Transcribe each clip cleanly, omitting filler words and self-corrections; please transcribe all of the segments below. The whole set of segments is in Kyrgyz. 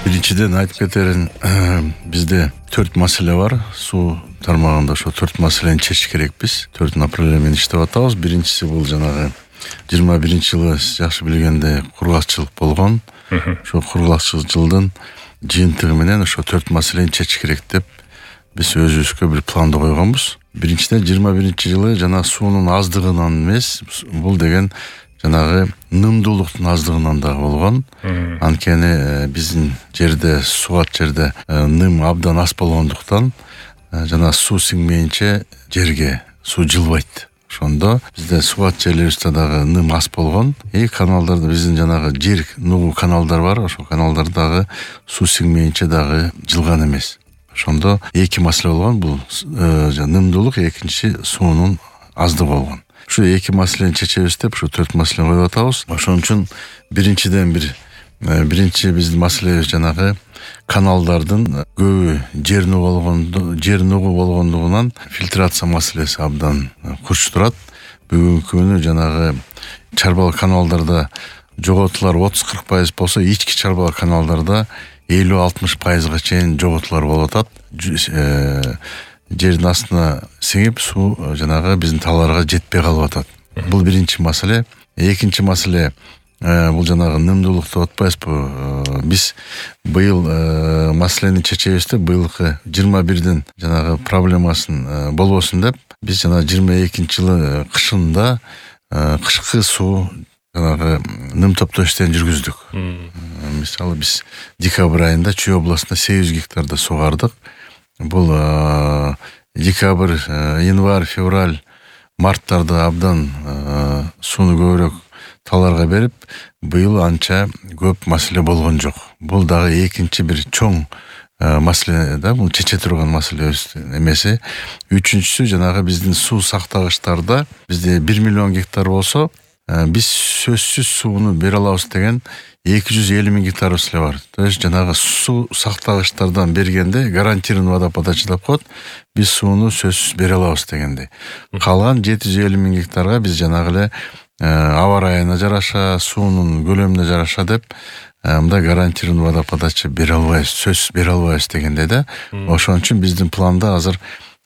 Биринчиден айтып кетерин, бизде 4 маселе бар. Суу тармагында ошо 4 маселени чечиш керекпиз. 4 направление менен иштеп атабыз. Биринчиси бул жанагы 21-жылы жакшы билгенде кургакчылык болгон. Ошо кургакчылык жылдын жыйынтыгы менен ошо 4 маселени чечиш керек деп биз өзүбүзгө бир планды койгонбуз. Биринчиден 21-жылы жана суунун аздыгынан эмес, бул деген жанагы нымдуулуктун аздыгынан дагы болгон. Анткени биздин жерде, сугат жерде ным абдан аз болгондуктан жана суу сиңмейинче жерге суу жылбайт. Ошондо бизде сугат жерлерибизде дагы ным аз болгон. Каналдарда биздин жанагы жер нугу каналдар бар. Ошол каналдар дагы суу сиңмейинче дагы жылган эмес. Ошондо эки маселе болгон. Бул нымдуулук, экинчи суунун аздыгы болгон. Ушу эки маселени чечебиз деп ушу 4 маселени коюп атабыз. Ошон үчүн биринчи биздин маселебиз жанагы каналдардын көбү жер нугу болгондугунан фильтрация маселеси абдан курч турат. Бүгүнкү күнү жанагы чарбал каналдарда жоготуулар 30-40% болсо, ички чарбал каналдарда 50-60%га чейин жоготуулар болуп атат. Жердин астына сиңип суу жанагы биздин талаарга жетпей калып атат. Бул биринчи маселе. Экинчи маселе бул жанагы нымдуулук деп атпайбызбы? Биз быйыл маселени чечебиз деп быйылкы 21-дин жанагы проблемасын болбосун деп биз жана 22-жылы кышында кышкы суу жанагы ным топтоо иштерин жүргүздүк. Мисалы биз декабрь айында Чүй областында 800 гектарда сугардык. Бул декабрь, январь, февраль, марттарда абдан сууну көбүрөөк талаарга берип, быйыл анча көп маселе болгон жок. Бул дагы экинчи бир чоң маселе да, бул чече турган маселе эмеси. Үчүнчүсү жанагы биздин суу сактагычтарда бизде 1 миллион гектар болсо, биз сөзсүз сууну бере алабыз деген 250 000 гектарыбыз эле бар. То есть жанагы суу сактагычтардан бергенде гарантированный водоподача деп коет. Биз сууну сөзсүз бере алабыз дегенде. Калган 750 000 гектарга биз жанагы эле аба ырайына жараша, суунун көлөмүнө жараша деп мындай гарантированный водоподача бере албайбыз, сөзсүз бере албайбыз дегенде да. Ошон үчүн биздин планда азыр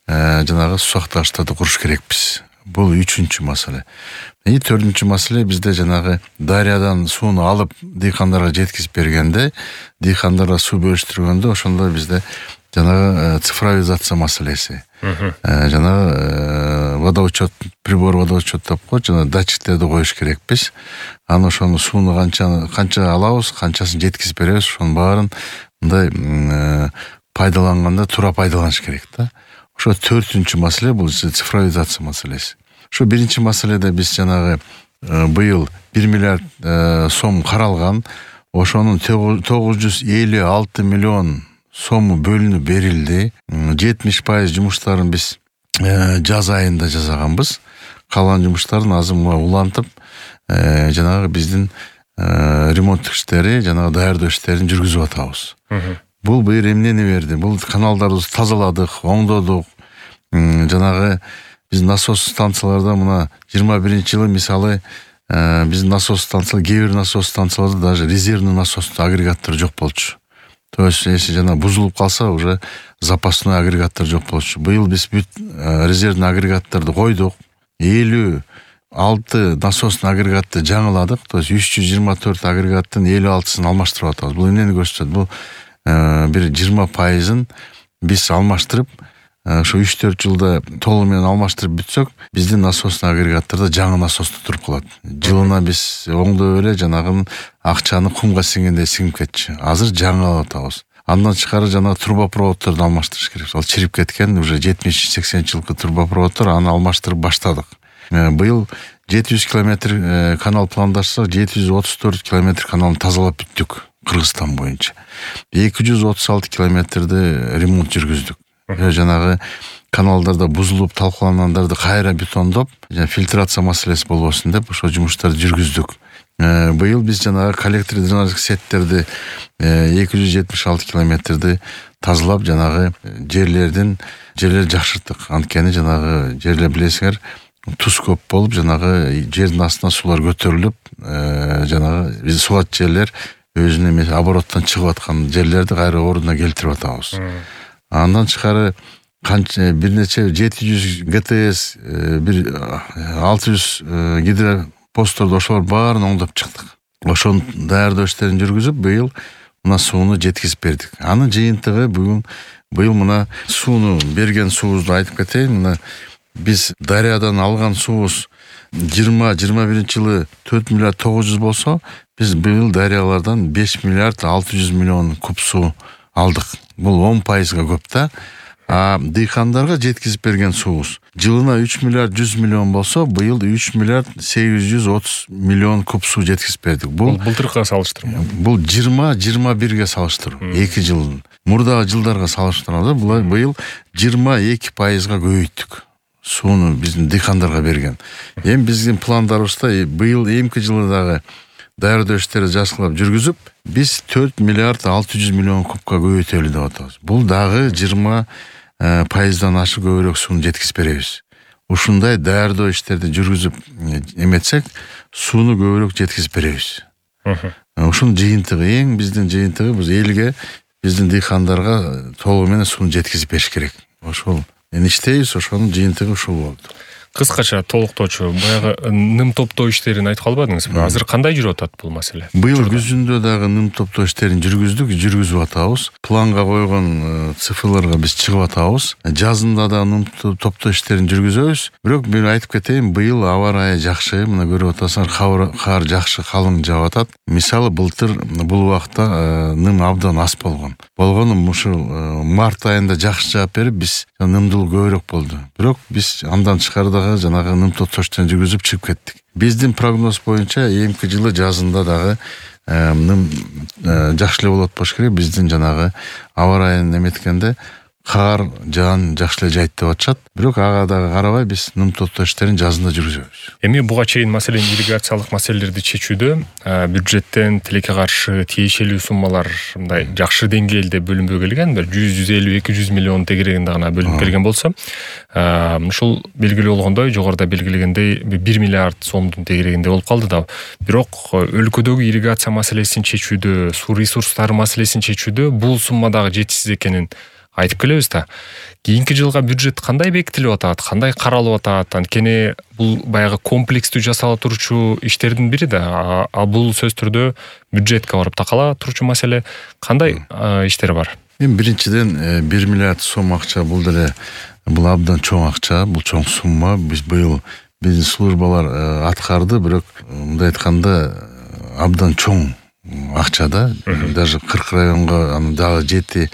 жанагы суу сактагычтарды куруш керекпиз. Бул үчүнчү маселе. Төртүнчү маселе бизде жанагы дарыядан сууну алып дыйкандарга жеткизип бергенде, дыйкандарга суу бөлүштүргөндө ошондо бизде жанагы цифровизация маселеси. Жанагы водоучет, прибор водоучет деп коет, жана датчиктерди коюш керекпиз. Аны ошону сууну канча алабыз, канчасын жеткизип беребиз, ошонун баарын мындай пайдаланганда туура пайдаланыш керек да. Ошо төртүнчү маселе бул цифровизация маселеси. Ошо биринчи маселеде биз жанагы быйыл 1 миллиард сом каралган, ошонун 956 миллион сому бөлүнүп берилди. 70% жумуштарын биз жаз айында жасаганбыз. Калган жумуштардын азыр улантып, жанагы биздин ремонттук иштери, жанагы даярдоо иштерин жүргүзүп атабыз. Бул быйыл эмнени берди? Бул каналдарды тазаладык, оңдодук. Жанагы биздин насос станцияларда мына 21-жылы мисалы биздин насос станциялар, кээ бир насос станцияларда даже резервный насос агрегаттар жок болчу. То есть если жана бузулуп калса, уже запасной агрегаттар жок болчу. Быйыл биз бүт резервный агрегаттарды койдук. 56 насосный агрегатты жаңыладык. То есть 324 агрегаттын 56-сын алмаштырып атабыз. Бул эмнени көрсөтөт? Бул бир 20%-ын биз алмаштырып, ошо 3-4 жылда толугу менен алмаштырып бүтсөк, биздин насосный агрегаттарда жаңы насосту туруп калат. Жылына биз оңдоп эле жанагы акчаны кумга сиңгендей сиңип кетчү. Азыр жаңы алып атабыз. Андан тышкары жанагы трубопроводторду алмаштырыш керек. Ал чирип кеткен уже 70-80 жылкы трубопроводтор, аны алмаштырып баштадык. Быйыл 700 километр канал пландаштырсак, 734 километр каналды тазалап бүттүк Кыргызстан боюнча. 236 километрди ремонт жүргүздүк. Жанагы каналдарда бузулуп талкалангандарды кайра бетондоп, фильтрация маселеси болбосун деп ошо жумуштарды жүргүздүк. Быйыл биз жанагы коллектор дренаждык сеттерди 276 километрди тазалап, жанагы жерлер жакшырттык. Анткени жанагы жерлер билесиңер, туз көп болуп, жанагы жердин астына суулар көтөрүлүп, жанагы биз сугат жерлер өзүнүн эмес обороттон чыгып аткан жерлерди кайра ордуна келтирип атабыз. Андан тышкары канча бир нече 700 ГТС, бир 600 гидропостторду ошолор баарын оңдоп чыктык. Ошонун даярдоо иштерин жүргүзүп, быйыл мына сууну жеткизип бердик. Анын жыйынтыгы быйыл мына сууну берген суубузду айтып кетейин. Мына биз дарыядан алган суубуз 20-21 жылы 4 миллиард 900 болсо, биз быйыл дарыялардан 5 миллиард 600 миллион куб суу алдык. Бул 10%га көп да. А дыйкандарга жеткизип берген суубуз жылына 3 миллиард 100 миллион болсо, быйыл 3 миллиард 830 миллион куб суу жеткизип бердик. Бул былтыркыга салыштырма. Бул 20-21ге салыштыруу. 2 жыл. Мурдагы жылдарга салыштырганда быйыл 22%га көбөйттүк. Сууну биздин дыйкандарга берген. Эми биздин пландарыбызда быйыл эмки жылы дагы даярдоо иштерин жакшылап жүргүзүп, биз 4 миллиард 600 миллион кубка көбөйтөлү деп атабыз. Бул дагы 20%дан ашык көбүрөөк сууну жеткизип беребиз. Ушундай даярдоо иштерди жүргүзүп эметсек, сууну көбүрөөк жеткизип беребиз. Ушунун жыйынтыгы, эң биздин жыйынтыгы биз элге, биздин дыйкандарга толугу менен сууну жеткизип бериш керек. Ошол иштейбиз, ошонун жыйынтыгы ушул болду. Кыскача толуктоочу, баягы ным топтоо иштерин айтып калбадыңызбы? Азыр кандай жүрүп атат бул маселе? Быйыл күзүндө дагы ным топтоо иштерин жүргүзүп атабыз. Планга койгон цифрларга биз чыгып атабыз. Жазында да ным топтоо иштерин жүргүзөбүз. Бирок мен айтып кетейин, быйыл аба ырайы жакшы, мына көрүп атасыңар, кар жакшы калың жаап атат. Мисалы былтыр бул убакта ным абдан аз болгон. Ушул март айында жакшы жаап берип, биз нымдуулук көбүрөөк болду. Бирок биз андан тышкары жанагы ным топтоо иштерин жүргүзүп чыгып кеттик. Биздин прогноз боюнча эмки жылы жазында дагы ным жакшы эле болот болуш керек. Биздин жанагы аба ырайын эметкенде кар жаан жакшы эле жайт деп атышат. Бирок ага дагы карабай биз ным топтоо иштерин жазында жүргүзөбүз. Эми буга чейин маселен ирригациялык маселелерди чечүүдө бюджеттен тилекке каршы тиешелүү суммалар мындай жакшы деңгээлде бөлүнбөй келген, 150-200 миллион тегерегинде гана бөлүнүп келген болсо, ушул белгилүү болгондой, жогоруда белгилегендей 1 миллиард сомдун тегерегинде болуп калды да. Бирок өлкөдөгү ирригация маселесин чечүүдө, суу ресурстары маселесин чечүүдө бул сумма дагы жетишсиз экенин айтып келебиз да. Кийинки жылга бюджет кандай бекитилип атат, кандай каралып атат? Анткени бул баягы комплекстүү жасала турчу иштердин бири да. А бул сөз түрдө бюджетке барып такала турчу маселе. Кандай иштер бар? Эми биринчиден 1 миллиард сом акча бул деле бул абдан чоң акча, бул чоң сумма. Биз быйыл биздин службалар аткарды, бирок мындай айтканда абдан чоң акча да. Даже 40 районго дагы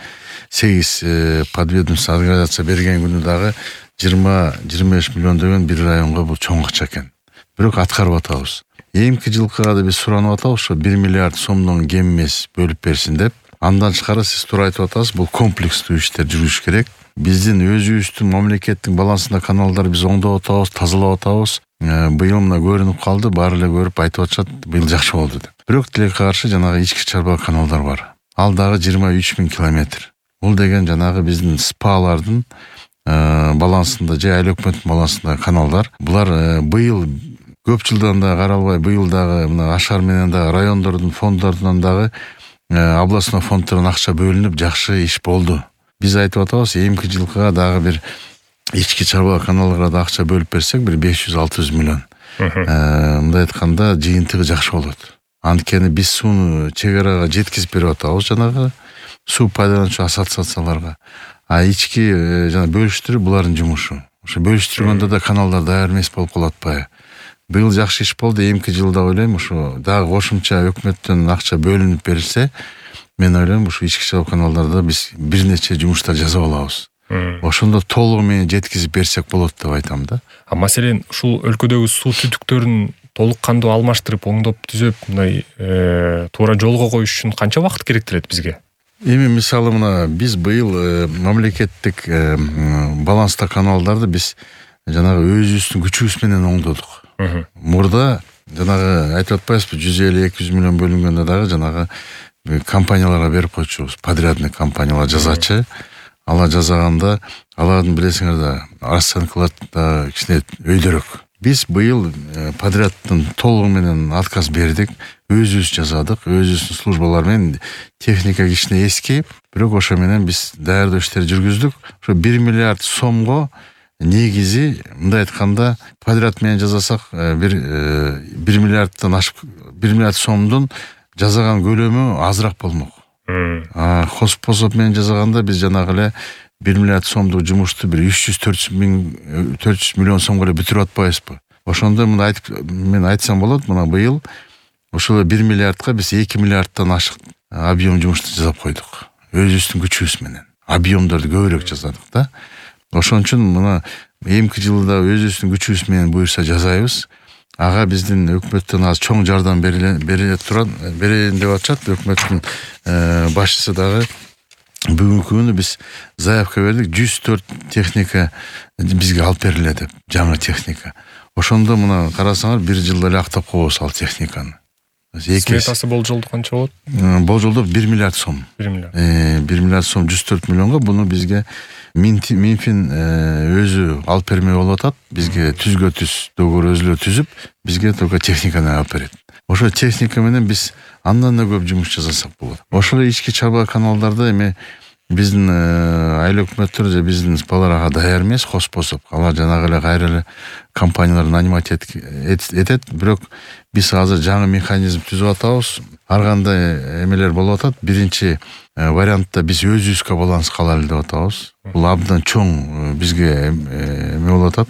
7-8 подведомство организация берген күнү дагы 20-25 миллион деген бир районго бул чоң акча экен. Бирок аткарып атабыз. Эмки жылкыга да биз суранып атабыз, ошо 1 миллиард сомдон кем эмес бөлүп берсин деп. Андан тышкары сиз туура айтып атасыз, бул комплекстүү иштер жүрүш керек. Биздин өзүбүздүн мамлекеттик балансында каналдар биз оңдоп атабыз, тазалап атабыз. Быйыл мына көрүнүп калды, баары эле көрүп айтып атышат, быйыл жакшы болду деп. Бирок тилекке каршы жанагы ички чарба каналдар бар. Ал дагы 23 000 километр. Бул деген жанагы биздин СПАлардын балансында же айыл өкмөттүн балансында каналдар. Булар быйыл көп жылдан да каралбай, быйыл дагы мына Ашар менен дагы райондордун фонддорунан дагы областной фонддордон акча бөлүнүп, жакшы иш болду. Биз айтып атабыз, эмки жылкыга дагы бир ички чарба каналга да акча бөлүп берсек, бир 500-600 миллион. Мындай айтканда жыйынтыгы жакшы болот. Анткени биз сууну чек арага жеткизип берип атабыз жанагы суу пайдалануучу ассоциацияларга. А ички жана бөлүштүрүү булардын жумушу. Ошо бөлүштүргөндө да каналдар даяр эмес болуп калып атпайбы? Быйыл жакшы иш болду, эмки жылда ойлойм ошо дагы кошумча өкмөттөн акча бөлүнүп берилсе, мен ойлойм ушу ички чарба каналдарда биз бир нече жумуштар жасап алабыз. Ошондо толугу менен жеткизип берсек болот деп айтам да. А маселен ушул өлкөдөгү суу түтүктөрүн толук кандуу алмаштырып, оңдоп түзөп, мындай туура жолго коюш үчүн канча убакыт керектелет бизге? Эми мисалы мына биз быйыл мамлекеттик баланста каналдарды биз жанагы өзүбүздүн күчүбүз менен оңдодук. Мурда жанагы айтып атпайбызбы, 150-200 миллион бөлүнгөндө дагы жанагы компанияларга берип койчубуз, подрядный компаниялар жасачы. Ала жасаганда алардын билесиңер да расценкалар да кичине өйдөрөөк. Биз быйыл подрядтын толугу менен отказ бердик. Өзүбүз жазадык, өзүбүздүн службалар менен. Техника кичине эски, бирок ошо менен биз даярдоо иштерин жүргүздүк. Ошо 1 миллиард сомго негизи мындай айтканда подряд менен жасасак 1 миллиарддан ашып 1 миллиард сомдун жасаган көлөмү азыраак болмок. Хозпособ менен жасаганда биз жанагы эле 1 миллиард сомдук жумушту бир 300-400 миллион сомго эле бүтүрүп атпайбызбы? Ошондо мен айтсам болот, мына быйыл ошол 1 миллиардка биз 2 миллиардтан ашык объем жумушту жасап койдук. Өзүбүздүн күчүбүз менен. Объемдорду көбүрөөк жасадык да. Ошон үчүн мына эмки жылда өзүбүздүн күчүбүз менен буюрса жасайбыз. Ага биздин өкмөттөн аз чоң жардам берилин деп атышат. Өкмөттүн башчысы дагы бүгүнкү күнү биз заявка бердик, 104 техника бизге алып берилет деп, жаңы техника. Ошондо мына карасаңар 1 жылда эле актап коебуз ал техниканы. Сметасы болжолду канча болот? Болжолдо 1 миллиард сом. 1 миллиард. 1 миллиард сом 104 миллионго буну бизге Минфин өзү алып бермей болуп атат. Бизге түзгө договор өзүлө түзүп, бизге только техниканы алып берет. Ошо техника менен биз андан да көп жумуш жасасак болот. Ошол ички чарба каналдарда эми биздин айыл өкмөттөр же биздин спалар ага даяр эмес, хозпособ. Алар жанагы эле кайра эле компаниялар нанимать этет, бирок биз азыр жаңы механизм түзүп атабыз. Ар кандай эмелер болуп атат. Биринчи вариантта биз өзүбүзгө баланска алалы деп атабыз. Бул абдан чоң бизге эме болуп атат.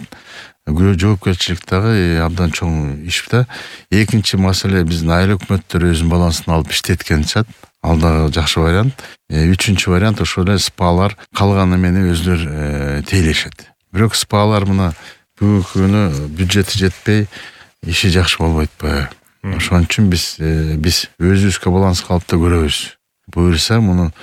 Жоопкерчилик дагы абдан чоң иш да. Экинчи маселе биздин айыл өкмөттөр өзүнүн балансына алып иштеткен чат. Ал дагы жакшы вариант. Үчүнчү вариант ошол эле спалар калганы менен өзүлөр тейлешет. Бирок спалар мына бүгүнкү күнү бюджети жетпей, иши жакшы болбойт. Ошон үчүн биз өзүбүзгө баланска алып да көрөбүз. Буюрса муну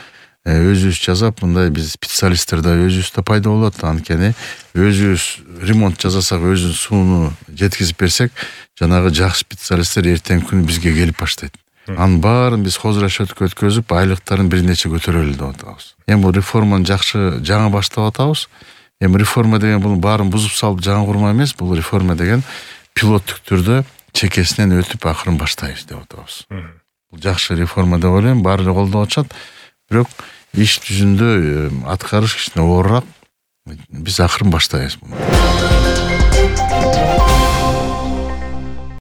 өзүбүз жасап, мындай биз специалисттер да өзүбүздө пайда болот. Анткени өзүбүз ремонт жасасак, өзүбүз сууну жеткизип берсек, жанагы жакшы специалисттер эртең күнү бизге келип баштайт. Анын баарын биз хозрасчетке өткөзүп, айлыктарын бир нече көтөрөлү деп атабыз. Эми бул реформаны жакшы жаңы баштап атабыз. Эми реформа деген бул баарын бузуп салып жаңы курма эмес, бул реформа деген пилоттук түрдө чекесинен өтүп акырын баштайбыз деп атабыз. Бул жакшы реформа деп ойлойм, баары эле колдоп атышат. Бирок иш жүзүндө аткарыш кичине оорураак. Биз акырын баштайбыз.